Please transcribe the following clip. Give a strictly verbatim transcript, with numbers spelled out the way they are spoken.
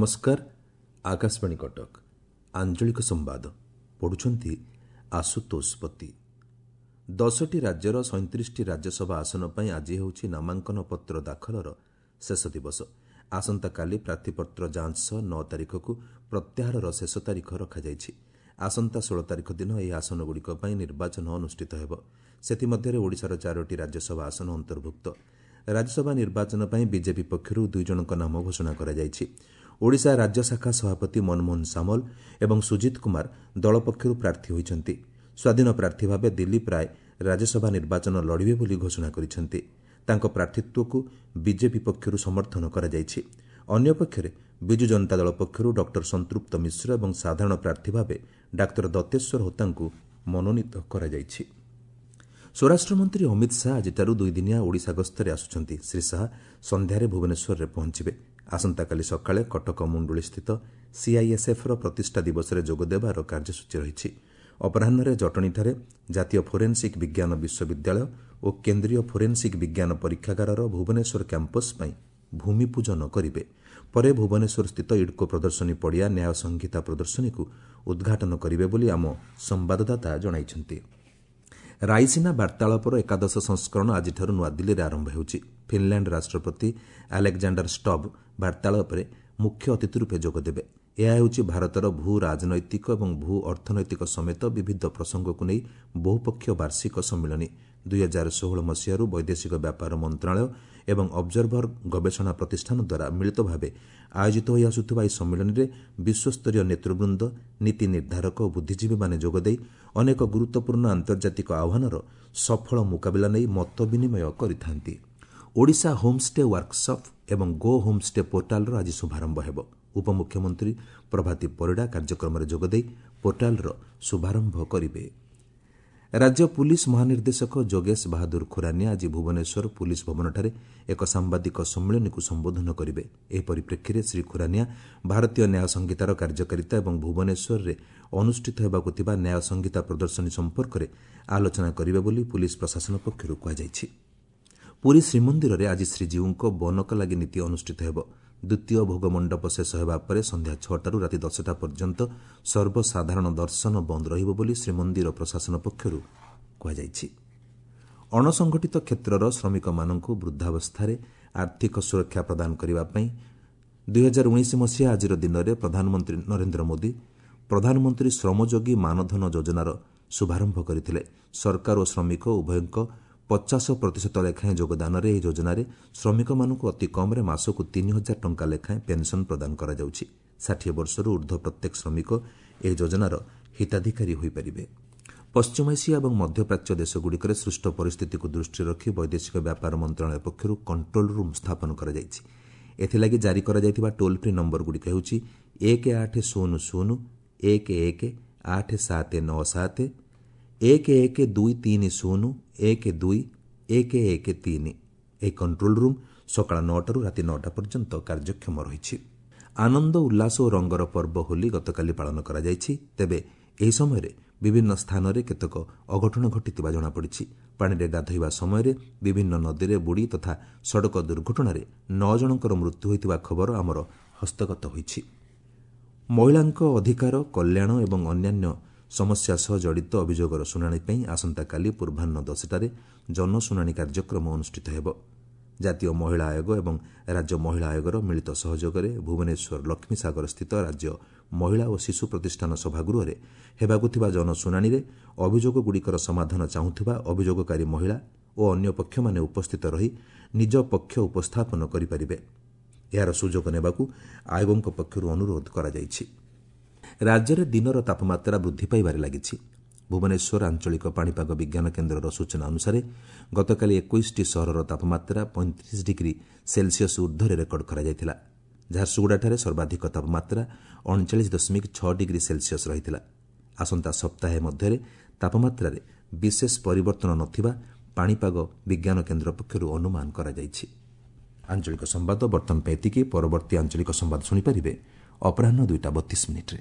ନମସ୍କାର ଆକାଶବାଣୀ କଟକ ଆଞ୍ଚଳିକ ସମ୍ବାଦ ପଢୁଛନ୍ତି ଆଶୁତୋଷ ପତି ଦଶଟି ରାଜ୍ୟର ସଇଁତିରିଶଟି ରାଜ୍ୟସଭା ଆସନ ପାଇଁ ଆଜି ହେଉଛି ନାମାଙ୍କନ ପତ୍ର ଦାଖଲର ଶେଷ ଦିବସ ଆସନ୍ତାକାଲି ପ୍ରାର୍ଥୀପତ୍ର ଯାଞ୍ଚ ସହ ନଅ ତାରିଖକୁ ପ୍ରତ୍ୟାହାରର ଶେଷ ତାରିଖ ରଖାଯାଇଛି ଆସନ୍ତା ଷୋହଳ ତାରିଖ ଦିନ ଏହି ଆସନଗୁଡ଼ିକ ପାଇଁ ନିର୍ବାଚନ ଅନୁଷ୍ଠିତ ହେବ ସେଥିମଧ୍ୟରେ ଓଡ଼ିଶାର ଚାରୋଟି ରାଜ୍ୟସଭା ଆସନ ଅନ୍ତର୍ଭୁକ୍ତ ରାଜ୍ୟସଭା ନିର୍ବାଚନ ପାଇଁ ବିଜେପି ପକ୍ଷରୁ ଦୁଇ ଜଣଙ୍କ ନାମ ଘୋଷଣା କରାଯାଇଛି ଓଡ଼ିଶା ରାଜ୍ୟ ଶାଖା ସଭାପତି ମନମୋହନ ସାମଲ ଏବଂ ସୁଜିତ କୁମାର ଦଳ ପକ୍ଷରୁ ପ୍ରାର୍ଥୀ ହୋଇଛନ୍ତି ସ୍ୱାଧୀନ ପ୍ରାର୍ଥୀ ଭାବେ ଦିଲ୍ଲୀପ ରାୟ ରାଜ୍ୟସଭା ନିର୍ବାଚନ ଲଢ଼ିବେ ବୋଲି ଘୋଷଣା କରିଛନ୍ତି ତାଙ୍କ ପ୍ରାର୍ଥୀତ୍ୱକୁ ବିଜେପି ପକ୍ଷରୁ ସମର୍ଥନ କରାଯାଇଛି ଅନ୍ୟପକ୍ଷରେ ବିଜୁ ଜନତା ଦଳ ପକ୍ଷରୁ ଡକ୍ଟର ସଂତୃପ୍ତ ମିଶ୍ର ଏବଂ ସାଧାରଣ ପ୍ରାର୍ଥୀ ଭାବେ ଡାକ୍ତର ଦତ୍ତେଶ୍ୱର ହୋତାଙ୍କୁ ମନୋନୀତ କରାଯାଇଛି ସ୍ୱରାଷ୍ଟ୍ରମନ୍ତ୍ରୀ ଅମିତ ଶାହା ଆଜିଠାରୁ ଦୁଇଦିନିଆ ଓଡ଼ିଶା ଗସ୍ତରେ ଆସୁଛନ୍ତି ଶ୍ରୀ ଶାହା ସନ୍ଧ୍ୟାରେ ଭୁବନେଶ୍ୱରରେ ପହଞ୍ଚିବେ ଆସନ୍ତାକାଲି ସକାଳେ କଟକ ମୁଣ୍ଡୁଳିସ୍ଥିତ ସିଆଇଏସ୍ଏଫ୍ର ପ୍ରତିଷ୍ଠା ଦିବସରେ ଯୋଗଦେବାର କାର୍ଯ୍ୟସୂଚୀ ରହିଛି ଅପରାହ୍ନରେ ଜଟଣୀଠାରେ ଜାତୀୟ ଫୋରେନ୍ସିକ୍ ବିଜ୍ଞାନ ବିଶ୍ୱବିଦ୍ୟାଳୟ ଓ କେନ୍ଦ୍ରୀୟ ଫୋରେନ୍ସିକ୍ ବିଜ୍ଞାନ ପରୀକ୍ଷାଗାରର ଭୁବନେଶ୍ୱର କ୍ୟାମ୍ପସ୍ ପାଇଁ ଭୂମିପୂଜନ କରିବେ ପରେ ଭୁବନେଶ୍ୱରସ୍ଥିତ ଇଡ୍କୋ ପ୍ରଦର୍ଶନୀ ପଡ଼ିଆ ନ୍ୟାୟ ସଂହିତା ପ୍ରଦର୍ଶନୀକୁ ଉଦ୍ଘାଟନ କରିବେ ବୋଲି ଆମ ସମ୍ବାଦଦାତା ଜଣାଇଛନ୍ତି ରାଇସିନା ବାର୍ତ୍ତାଳାପର ଏକାଦଶ ସଂସ୍କରଣ ଆଜିଠାରୁ ନୂଆଦିଲ୍ଲୀରେ ଆରମ୍ଭ ହେଉଛି ଫିନ୍ଲାଣ୍ଡ ରାଷ୍ଟ୍ରପତି ଆଲେକ୍ଜାଣ୍ଡାର ଷ୍ଟବ୍ ବାର୍ତ୍ତାଳାପରେ ମୁଖ୍ୟ ଅତିଥି ରୂପେ ଯୋଗଦେବେ ଏହା ହେଉଛି ଭାରତର ଭୂ ରାଜନୈତିକ ଏବଂ ଭୂ ଅର୍ଥନୈତିକ ସମେତ ବିବିଧ ପ୍ରସଙ୍ଗକୁ ନେଇ ବହୁପକ୍ଷୀୟ ବାର୍ଷିକ ସମ୍ମିଳନୀ ଦୁଇହଜାର ଷୋହଳ ମସିହାରୁ ବୈଦେଶିକ ବ୍ୟାପାର ମନ୍ତ୍ରଣାଳୟ ଏବଂ ଅବଜର୍ଭର ଗବେଷଣା ପ୍ରତିଷ୍ଠାନ ଦ୍ୱାରା ମିଳିତ ଭାବେ ଆୟୋଜିତ ହୋଇଆସୁଥିବା ଏହି ସମ୍ମିଳନୀରେ ବିଶ୍ୱସ୍ତରୀୟ ନେତୃବୃନ୍ଦ ନୀତି ନିର୍ଦ୍ଧାରକ ଓ ବୁଦ୍ଧିଜୀବୀମାନେ ଯୋଗଦେଇ ଅନେକ ଗୁରୁତ୍ୱପୂର୍ଣ୍ଣ ଆନ୍ତର୍ଜାତିକ ଆହ୍ୱାନର ସଫଳ ମୁକାବିଲା ନେଇ ମତ ବିନିମୟ କରିଥାନ୍ତି ଓଡ଼ିଶା ହୋମ୍ଷ୍ଟେ ୱାର୍କସପ୍ ଏବଂ ଗୋ ହୋମ୍ଷ୍ଟେ ପୋର୍ଟାଲର ଆଜି ଶୁଭାରମ୍ଭ ହେବ ଉପମୁଖ୍ୟମନ୍ତ୍ରୀ ପ୍ରଭାତୀ ପରିଡ଼ା କାର୍ଯ୍ୟକ୍ରମରେ ଯୋଗଦେଇ ପୋର୍ଟାଲର ଶୁଭାରମ୍ଭ କରିବେ ରାଜ୍ୟ ପୁଲିସ୍ ମହାନିର୍ଦ୍ଦେଶକ ଯୋଗେଶ ବାହାଦୁର ଖୁରାନିଆ ଆଜି ଭୁବନେଶ୍ୱର ପୁଲିସ୍ ଭବନଠାରେ ଏକ ସାମ୍ବାଦିକ ସମ୍ମିଳନୀକୁ ସମ୍ବୋଧନ କରିବେ ଏହି ପରିପ୍ରେକ୍ଷୀରେ ଶ୍ରୀ ଖୁରାନିଆ ଭାରତୀୟ ନ୍ୟାୟ ସଂହିତାର କାର୍ଯ୍ୟକାରିତା ଏବଂ ଭୁବନେଶ୍ୱରରେ ଅନୁଷ୍ଠିତ ହେବାକୁ ଥିବା ନ୍ୟାୟ ସଂହିତା ପ୍ରଦର୍ଶନୀ ସମ୍ପର୍କରେ ଆଲୋଚନା କରିବେ ବୋଲି ପୁଲିସ୍ ପ୍ରଶାସନ ପକ୍ଷରୁ କୁହାଯାଇଛି ପୁରୀ ଶ୍ରୀମନ୍ଦିରରେ ଆଜି ଶ୍ରୀଜୀଉଙ୍କ ବନକଲାଗି ନୀତି ଅନୁଷ୍ଠିତ ହେବ ଦ୍ୱିତୀୟ ଭୋଗମଣ୍ଡପ ଶେଷ ହେବା ପରେ ସନ୍ଧ୍ୟା ଛଅଟାରୁ ରାତି ଦଶଟା ପର୍ଯ୍ୟନ୍ତ ସର୍ବସାଧାରଣ ଦର୍ଶନ ବନ୍ଦ ରହିବ ବୋଲି ଶ୍ରୀମନ୍ଦିର ପ୍ରଶାସନ ପକ୍ଷରୁ କୁହାଯାଇଛି ଅଣସଂଗଠିତ କ୍ଷେତ୍ରର ଶ୍ରମିକମାନଙ୍କୁ ବୃଦ୍ଧାବସ୍ଥାରେ ଆର୍ଥିକ ସୁରକ୍ଷା ପ୍ରଦାନ କରିବା ପାଇଁ ଦୁଇହଜାର ଉଣେଇଶ ମସିହା ଆଜିର ଦିନରେ ପ୍ରଧାନମନ୍ତ୍ରୀ ନରେନ୍ଦ୍ର ମୋଦି ପ୍ରଧାନମନ୍ତ୍ରୀ ଶ୍ରମଯୋଗୀ ମାନଧନ ଯୋଜନାର ଶୁଭାରମ୍ଭ କରିଥିଲେ ସରକାର ଓ ଶ୍ରମିକ ଉଭୟଙ୍କ ପଚାଶ ପ୍ରତିଶତ ଲେଖାଏଁ ଯୋଗଦାନରେ ଏହି ଯୋଜନାରେ ଶ୍ରମିକମାନଙ୍କୁ ଅତି କମ୍ରେ ମାସକୁ ତିନି ହଜାର ଟଙ୍କା ଲେଖାଏଁ ପେନ୍ସନ୍ ପ୍ରଦାନ କରାଯାଉଛି ଷାଠିଏ ବର୍ଷରୁ ଉର୍ଦ୍ଧ୍ୱ ପ୍ରତ୍ୟେକ ଶ୍ରମିକ ଏହି ଯୋଜନାର ହିତାଧିକାରୀ ହୋଇପାରିବେ ପଶ୍ଚିମ ଏସିଆ ଏବଂ ମଧ୍ୟପ୍ରାଚ୍ୟ ଦେଶଗୁଡ଼ିକରେ ସୃଷ୍ଟ ପରିସ୍ଥିତିକୁ ଦୃଷ୍ଟିରେ ରଖି ବୈଦେଶିକ ବ୍ୟାପାର ମନ୍ତ୍ରଣାଳୟ ପକ୍ଷରୁ କଣ୍ଟ୍ରୋଲ ରୁମ୍ ସ୍ଥାପନ କରାଯାଇଛି ଏଥିଲାଗି ଜାରି କରାଯାଇଥିବା ଟୋଲ୍ ଫ୍ରି ନମ୍ବରଗୁଡ଼ିକ ହେଉଛି ଏକ ଆଠ ଶୂନ ଶୂନ ଏକ ଏକ ଆଠ ସାତ ନଅ ସାତ ଏକ ଏକ ଦୁଇ ତିନି ଶୂନ ଏକ ଦୁଇ ଏକ ଏକ ତିନି ଏହି କଣ୍ଟ୍ରୋଲ ରୁମ୍ ସକାଳ ନଅଟାରୁ ରାତି ନଅଟା ପର୍ଯ୍ୟନ୍ତ କାର୍ଯ୍ୟକ୍ଷମ ରହିଛି ଆନନ୍ଦ ଉଲ୍ଲାସ ଓ ରଙ୍ଗର ପର୍ବ ହୋଲି ଗତକାଲି ପାଳନ କରାଯାଇଛି ତେବେ ଏହି ସମୟରେ ବିଭିନ୍ନ ସ୍ଥାନରେ କେତେକ ଅଘଟଣ ଘଟିଥିବା ଜଣାପଡ଼ିଛି ପାଣିରେ ଗାଧୋଇବା ସମୟରେ ବିଭିନ୍ନ ନଦୀରେ ବୁଡ଼ି ତଥା ସଡ଼କ ଦୁର୍ଘଟଣାରେ ନଅ ଜଣଙ୍କର ମୃତ୍ୟୁ ହୋଇଥିବା ଖବର ଆମର ହସ୍ତଗତ ହୋଇଛି ମହିଳାଙ୍କ ଅଧିକାର କଲ୍ୟାଣ ଏବଂ ଅନ୍ୟାନ୍ୟ ସମସ୍ୟା ସହ ଜଡ଼ିତ ଅଭିଯୋଗର ଶୁଣାଣି ପାଇଁ ଆସନ୍ତାକାଲି ପୂର୍ବାହ୍ନ ଦଶଟାରେ ଜନଶୁଣାଣି କାର୍ଯ୍ୟକ୍ରମ ଅନୁଷ୍ଠିତ ହେବ ଜାତୀୟ ମହିଳା ଆୟୋଗ ଏବଂ ରାଜ୍ୟ ମହିଳା ଆୟୋଗର ମିଳିତ ସହଯୋଗରେ ଭୁବନେଶ୍ୱର ଲକ୍ଷ୍ମୀସାଗରସ୍ଥିତ ରାଜ୍ୟ ମହିଳା ଓ ଶିଶୁ ପ୍ରତିଷ୍ଠାନ ସଭାଗୃହରେ ହେବାକୁ ଥିବା ଜନଶୁଣାଣିରେ ଅଭିଯୋଗଗୁଡ଼ିକର ସମାଧାନ ଚାହୁଁଥିବା ଅଭିଯୋଗକାରୀ ମହିଳା ଓ ଅନ୍ୟ ପକ୍ଷମାନେ ଉପସ୍ଥିତ ରହି ନିଜ ପକ୍ଷ ଉପସ୍ଥାପନ କରିପାରିବେ ଏହାର ସୁଯୋଗ ନେବାକୁ ଆୟୋଗଙ୍କ ପକ୍ଷରୁ ଅନୁରୋଧ କରାଯାଇଛି ରାଜ୍ୟରେ ଦିନର ତାପମାତ୍ରା ବୃଦ୍ଧି ପାଇବାରେ ଲାଗିଛି ଭୁବନେଶ୍ୱର ଆଞ୍ଚଳିକ ପାଣିପାଗ ବିଜ୍ଞାନ କେନ୍ଦ୍ରର ସୂଚନା ଅନୁସାରେ ଗତକାଲି ଏକୋଇଶଟି ସହରର ତାପମାତ୍ରା ପଇଁତିରିଶ ଡିଗ୍ରୀ ସେଲସିୟସ୍ ଉର୍ଦ୍ଧ୍ୱରେ ରେକର୍ଡ କରାଯାଇଥିଲା ଝାରସୁଗୁଡ଼ାଠାରେ ସର୍ବାଧିକ ତାପମାତ୍ରା ଅଣଚାଳିଶ ଦଶମିକ ଛଅ ଡିଗ୍ରୀ ସେଲସିୟସ୍ ରହିଥିଲା ଆସନ୍ତା ସପ୍ତାହେ ମଧ୍ୟରେ ତାପମାତ୍ରାରେ ବିଶେଷ ପରିବର୍ତ୍ତନ ନଥିବା ପାଣିପାଗ ବିଜ୍ଞାନ କେନ୍ଦ୍ର ପକ୍ଷରୁ ଅନୁମାନ କରାଯାଇଛି ଆଞ୍ଚଳିକ ସମ୍ବାଦ ବର୍ତ୍ତମାନ ପାଇଁ ଏତିକି ପରବର୍ତ୍ତୀ ଆଞ୍ଚଳିକ ସମ୍ବାଦ ଶୁଣିପାରିବେ ଅପରାହ୍ନ ଦୁଇଟା ବତିଶ ମିନିଟ୍ରେ